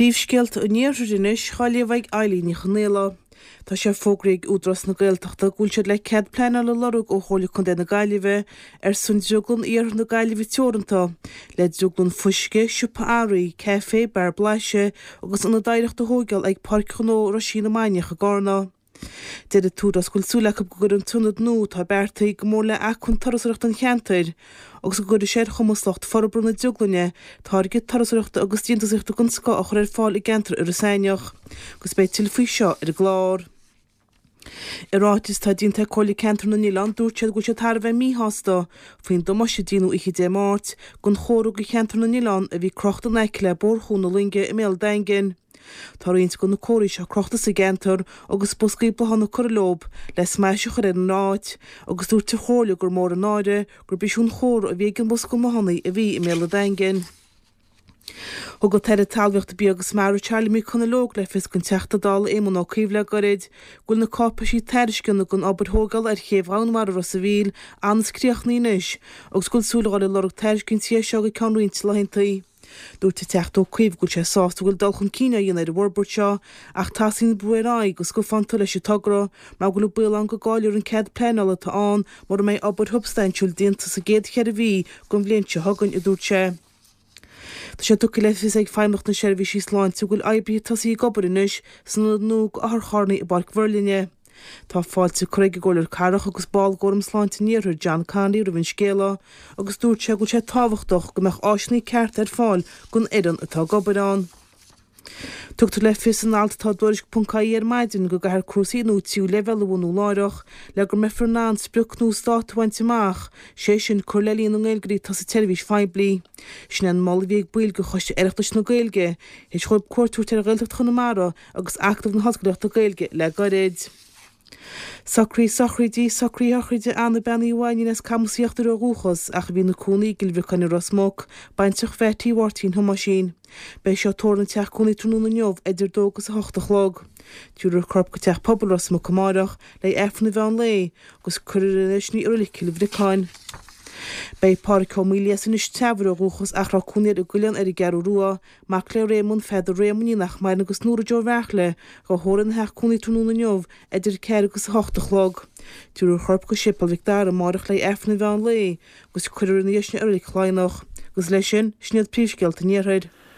Príomhscéalta an Iarthair anois á léamh ag Eilín Ní Chonaola. Tá sé fógraithe ag Údarás na Gaeltachta go bhfuil siad le cead pleanála a lorg ó Chomhairle Contae na Gaillimhe ar son Drioglann Iarthar na Gaillimhe Teoranta le drioglann fuisce, siopa earraí, caifé, beár blaiseadh agus ionad oidhreachta a thóigeáil ag Páirc Ghnó Roisín na Mainiach i gCarna. Deir an tÚdarás go bhfuil súil acu go gcuirfidh an t-ionad nua atá beartaithe go mór le acmhainn turasóireachta an cheantair agus go gcuirfidh sé ar chumas lucht forbartha na drioglainne táirge turasóireachta agus déantúsaíochta den scoth a chur ar fáil i gceantar Iorras Aithneach agus beidh tuilleadh faoi seo ar an gclár. I ráiteas atá déanta ag Comhairle Ceantar na nOileán dúirt siad go bhfuil siad thar a bheith míshásta faoin damáiste a déanadh oíche Dé Máirt don chomhartha do cheantar na nOileán a bhí crochta in aice le Bóthar Chuan na Loinge i mBéal an Daingin. Tá roinnt de na comharthaí seo crochta sa gceantar agus boscaí bláthanna curtha leo le smais a chur ar an áit agus dúirt an Chomhairle gur mór an náire gurb é sin an chomhartha a bhí ag an mbosca bláthanna a bhí i mBéal an Daingin. Thug an tAire Talmhaíochta, Bia agus Mara Charlie McConalogue le fios don Teachta Dála Éamon Ó Cuív le gairid go bhfuil na cáipéisí tairisceana don obair thógála ar chéibh Dhomhanmhara Ros a' Mhíl ionas críochnaithe anois agus go bhfuil súil a dhul ag lorg tairiscintí air seo go ceann roinnt laethanta. Dúirt an Teachta Ó Cuív go bhfuil sé sásta go bhfuil dul chun cinn á dhéanamh ar an bhforbairt seo ach tosaíonn brú ar aghaidh go scuabfá leis an togra mar go bhfuil an baol ann go gcaillfear an cead pleanála atá ann mura mbeidh obair shubstaintiúil déanta sa gcéad cheithre mhí den bhliain seo chugainn, a dúirt sé. Tá sé tugtha le fios ag Feidhmeannacht na Seirbhísí Sláinte go bhfuil oibrithe tosaithe ag obair anois san ionad nua d'otharcharranna i bPáirc Mhuirlinne. Tá fáilte curtha ag an gComhairleoir Cathrach agus ball d'Fhóram Sláinte an Iarthair, John Connolly roimh an scéala agus dúirt sé go bhfuil sé tábhachtach go mbeadh áiseanna cearta ar fáil don fhoireann atá ag obair ann. Tugtar le fios in alt atá i dTuairisc.ie ar maidin go gcaithfear cúrsaí nua tríú leibhéal a bhunú láithreach le go mbeifear in ann sprioc nua stáit a bhaint amach, sé sin cur le líon na nGaeilgeoirí atá sa tseirbhís phoiblí. Sin é an moladh a bhí ag baill de Choiste Oireachtais na Gaeilge théis dhóibh cuairt a thabhairt ar Ghaeltacht Chonamara agus Acadamh na hOllscolaíochta Gaeilge le gairid. Socruithe sochraide Socruithe sochraide Anna Bean Uí Mhainín as Camas Íochtair ó dhúchas ach a bhí ina cónaí i gCill Bhriocáin i Ros Muc, baintreach Mheaití Mháirtín Thomáisín. Beidh sí á tórramh ina teach cónaí tráthnóna inniu idir 2 agus 8 a chlog. Tabharfar a corp go Teach Pobail Ros Muc amárach le hAifreann an mheán lae agus cuirfear ina dhiaidh sin í i Reilig Chill Bhriocáin. Beidh Pádhraic Ó Maoildhia as Inis Treabhair ó dhúchas ach a raibh cónaí air i gCuilleán ar an gCeathrú Rua, Mac le Réamonn, Pheadar Réamoinn nach maireann agus Nóra Joe Bheartla, dhá thórramh ina theach cónaí tráthnóna inniu idir 4 agus 8 a chlog. Tabharfar a chorp go Séipéal Mhic Dara amárach le Aifreann an mheán lae agus cuirfear ina dhiaidh sin i Reilig Chladhnach. Agus leis sin, sin iad príomhscéalta an Iarthair.